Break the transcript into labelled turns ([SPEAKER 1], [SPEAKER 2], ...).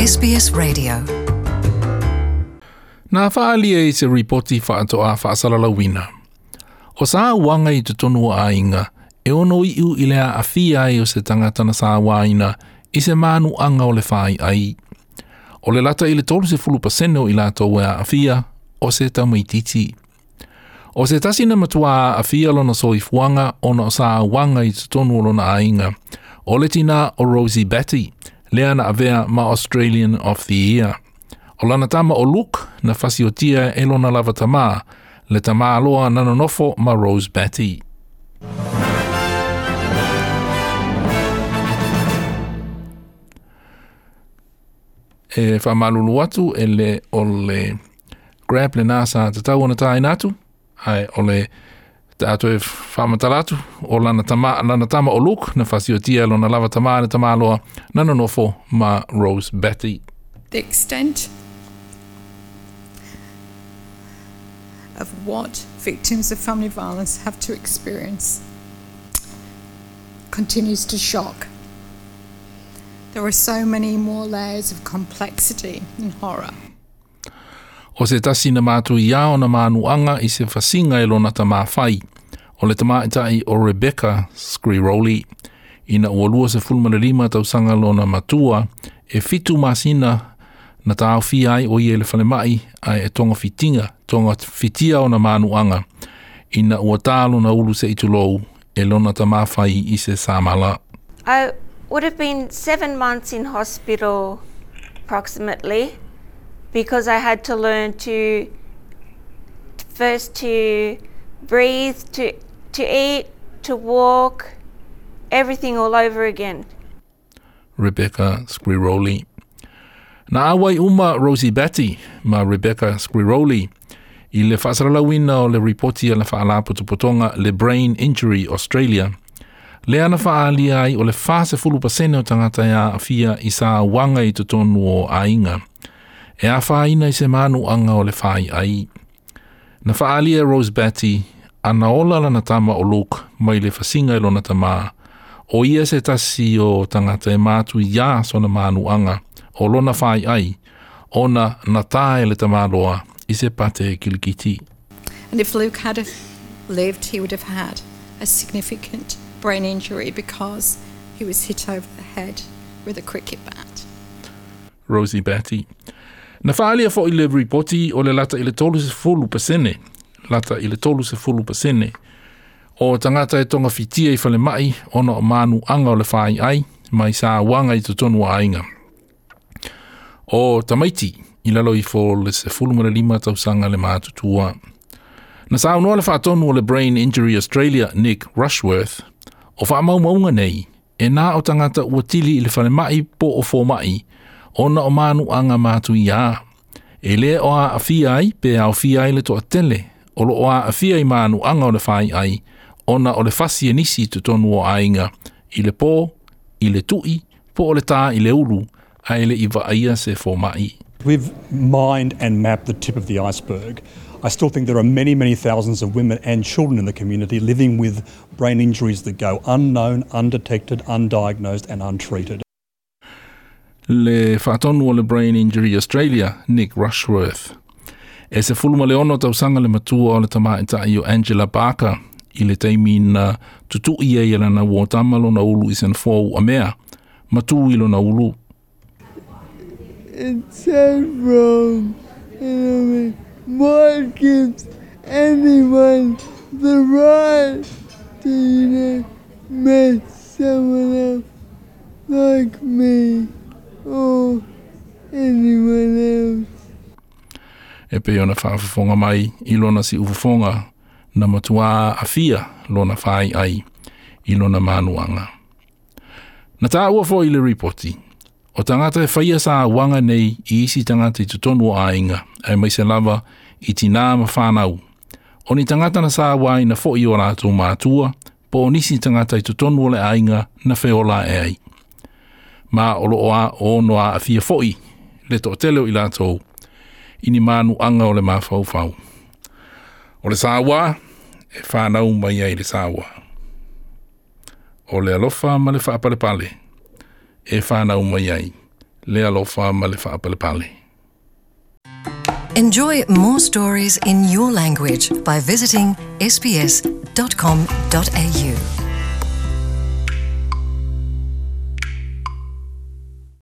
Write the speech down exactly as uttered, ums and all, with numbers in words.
[SPEAKER 1] S B S Radio.
[SPEAKER 2] Nā whaalia i se ripoti whaatoa whaasalalauina. O sā uanga i te tonu a inga, e ono iu i lea awhia ai o se tangata na sā waina i se manu anga o le whai ai. O le lata i le tolu se fulu pasene o i lātou e a awhia o se tamaititi. O se tasi na matua a awhia lona soifuanga ona o sā uanga i te tonu o lona ainga. O le tina o Rosie Batty, lea na avea ma Australian of the Year. O lana tama o Luke na fasiotia e lona lava tama, le tama aloa na nonofo ma Rose Batty. E whamalulu atu e le o le grab le nasa te tau ona tāina atu, ai o le tātou e whamatala atu, o lana tama, lana tama o Luke na fasiotia lona lava tama le tama aloa na nonofo ma Rose Batty.
[SPEAKER 3] The extent of what victims of family violence have to experience continues to shock. There are so many more layers of complexity and horror.
[SPEAKER 2] O se tasi na mātu i ao na mānuanga i se whasinga e lona tamā whai, o le tamaitai o Rebecca Squiroli, ina ua lua se fulma le lima tausanga lona matua, e fitu masina na tāwhia ai o ia le whalemai ai e tonga fitinga, tonga fitia o na mānuanga, ina ua tālo na ulu se itulou e lona tamā whai i se samala.
[SPEAKER 4] I would have been seven months in hospital approximately, because I had to learn to first to breathe, to, to eat, to walk, everything all over again.
[SPEAKER 2] Rebecca Squiroli. Nā awai uma Rosie Batty ma Rebecca Squiroli i le whaasalalauina o le ripoti a le whaalapotopotonga le Brain Injury Australia. Le ana whaalia ai o le whase fulu pasene o tangata ia awhia i sā wanga i te tonu o ainga. E a whaina i se manu anga o le whai ai. Na whaalia Rose Batty, ana ola lana tama o Luke mai le whasinga i lona tama. O ia se tasi o tangata e mātu ia sona manu anga o lona whai ai, ona na tae le tamaloa i se pate kilikiti.
[SPEAKER 3] And if Luke had lived, he would have had a significant brain injury because he was hit over the head with a cricket bat.
[SPEAKER 2] Rosie Batty. Na whaalia fo i le ripoti o le lata i le tolu se fulu pasene, lata i le tolu se fulu pasene, o tangata e tonga fitia i whale mai, ona o manu anga o le whai ai, mai sā wanga i te tonu a ainga. O tamaiti, i lalo i fo le se fulu ma le lima tausanga le mātutua. Na sā unoa le whaatonu o le Brain Injury Australia, Nick Rushworth, o whaamaumaunga nei, e nā o tangata ua tili i le whale mai po o fō mai, ona o manu anga mātu ia. E le o a awhia ai, pe au whia ai le toa tele, o lo o a awhia i manu anga o le whai ai, ona o le fasi e nisi te tonu o ainga, i le pō, i le tui, po o le tā i le ulu, a ele i vaaia se fōmai.
[SPEAKER 5] We've mined and mapped the tip of the iceberg. I still think there are many, many thousands of women and children in the community living with brain injuries that go unknown, undetected, undiagnosed and untreated.
[SPEAKER 2] Le whaatonu o le Brain Injury Australia, Nick Rushworth. E se fuluma le ono tausanga le matua o le tamaitai o Angela Barker i le taimi na tutui ai lana uotama lona ulu i sen fōu a mea, matu i lona ulu.
[SPEAKER 6] It's so wrong. And I mean, what gives anyone the right to, you know, mess someone up like me or anyone else?
[SPEAKER 2] E pe ona whaafafonga mai i lona si ufafonga na matua awhia lona whai ai i lona manuanga. Na tā ua fo i le ripoti, o tangata e whaia sā wanga nei i isi tangata i te tonu o ainga, ai mai se lava i tina ma whanau. O ni tangata na sā wai na fo i o rātou mātua, po o nisi tangata i te tonu o le ainga na wheola e ai. Ma o lo oa o no a awhia foi, le to tele o i lātou, i ni manu anga o le mawhau whau. O le sāwa, e whanau mai ai le sāwa. O le alofa ma le whaapalepale, e whanau mai ai Le alofa ma le faapalepale.
[SPEAKER 1] Enjoy more stories in your language by visiting S B S dot com dot A U.